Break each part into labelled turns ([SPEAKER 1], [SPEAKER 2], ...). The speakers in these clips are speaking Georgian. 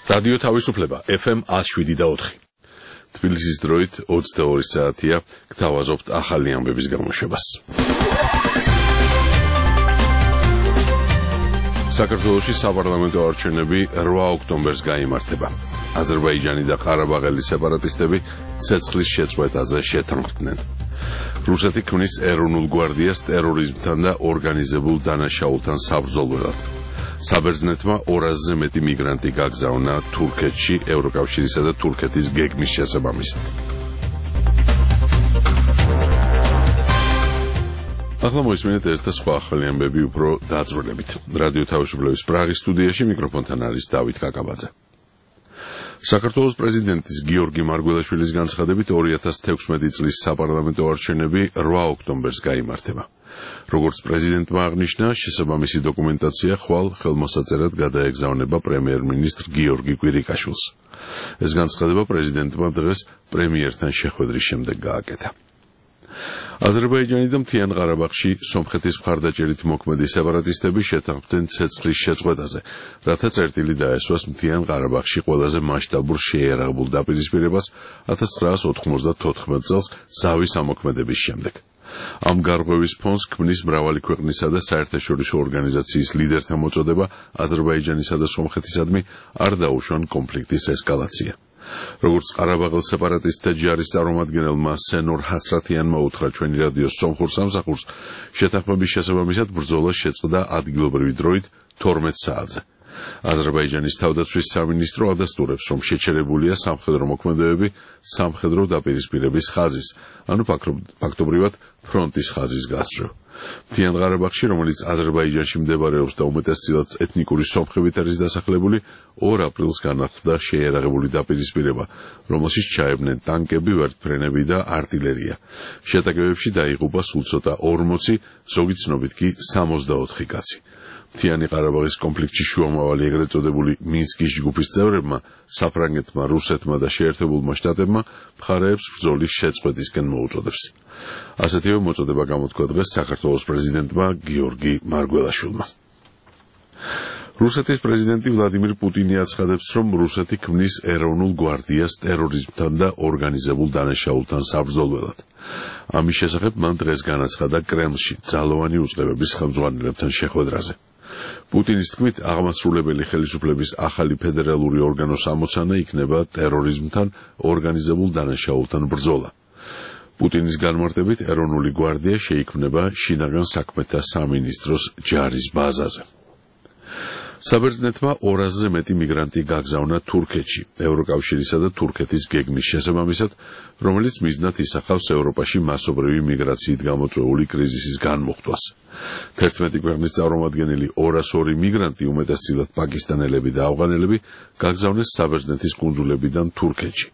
[SPEAKER 1] რადიო თავისუფლება FM 107.4. თბილისის დროით 22 საათია, გთავაზობთ ახალი ამბების გამოშვებას. საქართველოში საპარლამენტო არჩევნები 8 ოქტომბერს გაიმართება. აზერბაიჯანი და ყარაბაღელი სეპარატისტები ცეცხლის შეწყვეტაზე შეთანხმდნენ. რუსეთი ქმნის ეროვნულ გვარდიას ტერორიზმთან და ორგანიზებულ დანაშაულთან საბრძოლველად. საბერძნეთმა 200-ზე მეტი მიგრანტი გაგზავნა თურქეთში ევროკავშირისა და თურქეთის გეგმის შესაბამისად. ახლა მოისმინეთ ეს და სხვა ახალი ამბები უფრო დაწვრილებით. რადიო თავისუფლების პრაღის სტუდიაში მიკროფონთან არის დავით კაკაბაძე. საქართველოს პრეზიდენტის გიორგი მარგველაშვილის განცხადებით 2016 წლის საპარლამენტო არჩევნები 8 ოქტომბერს გაიმართება. როგორც პრეზიდენტმა აღნიშნა, შესაბამისი დოკუმენტაცია ხვალ ხელმოსაწერად გადაეგზავნება პრემიერ-მინისტრ გიორგი კვირიკაშვილს. ეს განცხადება პრეზიდენტმა დღეს პრემიერთან შეხვედრის შემდეგ გააკეთა. აზერბაიჯანი და მთიან ყარაბაღში სომხეთის მხარდაჭერით მოქმედი სეპარატისტები შეთანხმდნენ ცეცხლის შეწყვეტაზე, რათა წერტილი დაესვას მთიან ყარაბაღში ყველაზე მასშტაბურ შეიარაღებულ დაპირისპირებას 1994 წელს ზავის ამოქმედების შემდეგ. ამ გარღვევის ფონს ქმნის მრავალი ქვეყნისა და საერთაშორისო ორგანიზაციის ლიდერთა მოწოდება აზერბაიჯანისა და სომხეთისადმი არ დაუშვან კონფლიქტის ესკალაცია. როგორც ყარაბაღელ სეპარატისტთა ჯარის წარმომადგენელმა სენორ ჰასრათიანმა უთხრა ჩვენი რადიოს სომხურ სამსახურს, შეთანხმების შესაბამისად ბრძოლა შეწყდა ადგილობრივი დროით 12 საათზე. აზერბაიჯანის თავდაცვის სამინისტრო ადასტურებს, რომ შეჩერებულია სამხედრო მოქმედებები სამხედრო დაპირისპირების ხაზის, ანუ ფაქტობრივად ფრონტის ხაზის გასწვრივ. მთიან ყარაბაღში, რომელიც აზერბაიჯანში მდებარეობს და უმეტესწილად ეთნიკური სომხებით არის დასახლებული, 2 აპრილს განახლდა შეიარაღებული დაპირისპირება, რომელშიც ჩაებნენ ტანკები, ვერტმფრენები და არტილერია. შეტაკებებში დაიღუპა სულ ცოტა 40, ზოგი ცნობით კი 64 კაცი. მთიანი ყარაბაღის კონფლიქტში შუამავალი ეგრეთ წოდებული მინსკის ჯგუფის წევრებმა, საფრანგეთმა, რუსეთმა და შეერთებულმა შტატებმა მხარეებს ბრძოლის შეწყვეტისკენ მოუწოდებს. ასეთივე მოწოდება გამოთქვა დღეს საქართველოს პრეზიდენტმა გიორგი მარგველაშვილმა. რუსეთის პრეზიდენტი ვლადიმირ პუტინი აცხადებს, რომ რუსეთი ქმნის ეროვნულ გვარდიას ტერორიზმთან და ორგანიზებულ დანაშაულთან საბრძოლველად. ამის შესახებ მან დღეს განაცხადა კრემლში ძალოვანი უწყებების ხელმძღვანელებთან შეხვედრაზე. პუტინის თქმით, აღმასრულებელი ხელისუფლების ახალი ფედერალური ორგანოს ამოცანა იქნება ტერორიზმთან, ორგანიზებულ დანაშაულთან ბრძოლა. პუტინის განმარტებით, ეროვნული გვარდია შეიქმნება შინაგან საქმეთა სამინისტროს ჯარის ბაზაზე. საბერძნეთმა 200-ზე მეტი მიგრანტი გაგზავნა თურქეთში, ევროკავშირისა და თურქეთის გეგმის შესაბამისად, რომელიც მიზნად ისახავს ევროპაში მასობრივი მიგრაციით გამოწვეული კრიზისის განმუხტვას. 11 ქვეყნის წარმომადგენელი 202 მიგრანტი, უმეტესწილად პაკისტანელები და ავღანელები, გაგზავნეს საბერძნეთის კუნძულებიდან თურქეთში.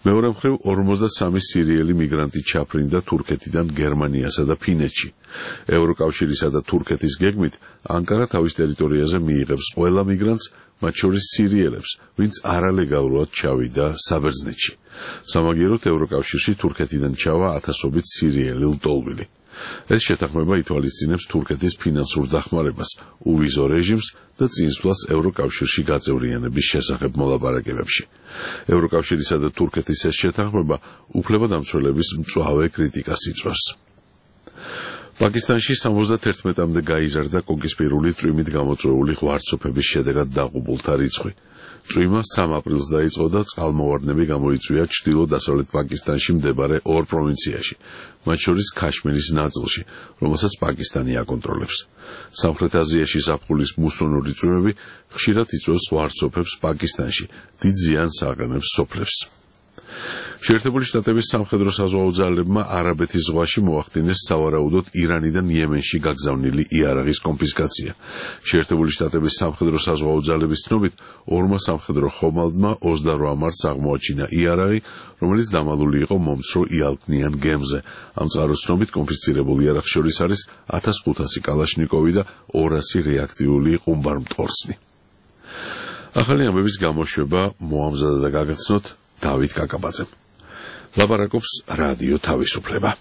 [SPEAKER 1] მეორე მხრივ 53 სირიელი მიგრანტი ჩაფრინდა თურქეთიდან გერმანიასა და ფინეთში. ევროკავშირისა და თურქეთის გეგმით ანკარა თავის ტერიტორიაზე მიიღებს ყველა მიგრანტს, მათ შორის სირიელებს, ვინც არალეგალურად ჩავიდა საბერძნეთში. სამაგიეროდ ევროკავშირში თურქეთიდან ჩავა ათასობით სირიელი ლტოლვილი. ეს შეთანხმება ითვალისწინებს თურქეთის ფინანსურ დახმარებას, უვიზო რეჟიმს და წინსვლას ევროკავშირში გაწევრიანების შესახებ მოლაპარაკებებში. ევროკავშირისა და თურქეთის ეს შეთანხმება უფლებადამცველების მწვავე კრიტიკას იწვევს. პაკისტანში 71-მდე გაიზარდა კოკისპირული წვიმით გამოწვეული ღვარცოფების შედეგად დაღუპულთა რიცხვი. წვიმა 3 აპრილს დაიწყო და წყალმოვარდნები გამოიწვია ჩრდილო-დასავლეთ პაკისტანში მდებარე 2 პროვინციაში, მათ შორის ქაშმირის ნაწილში, რომელსაც პაკისტანი აკონტროლებს. სამხრეთ აზიაში ზაფხულის მუსონური წვიმები ხშირად იწვევს ღვარცოფებს პაკისტანში, დიდ ზიანს აყენებს სოფლებს. შეერთებული შტატების სამხედრო საზღვაო ძალებმა არაბეთის ზღვაში მოახდინეს სავარაუდოდ ირანიდან იემენში გაგზავნილი იარაღის კონფისკაცია. შეერთებული შტატების სამხედრო საზღვაო ძალების ცნობით, 2 სამხედრო ხომალდმა 28 მარტს აღმოაჩინა იარაღი, რომელიც დამალული იყო მომცრო იალქნიან გემზე. ამ წყაროს ცნობით კონფისკირებულ იარაღს შორის არის 1500 კალაშნიკოვი და 200 რეაქტიული ყუმბარმტყორსნი. ახალი ამბების გამოშვება მოამზადა და გაგაცნოთ დავით კაკაბაძემ. ლაპარაკობს რადიო თავისუფლება.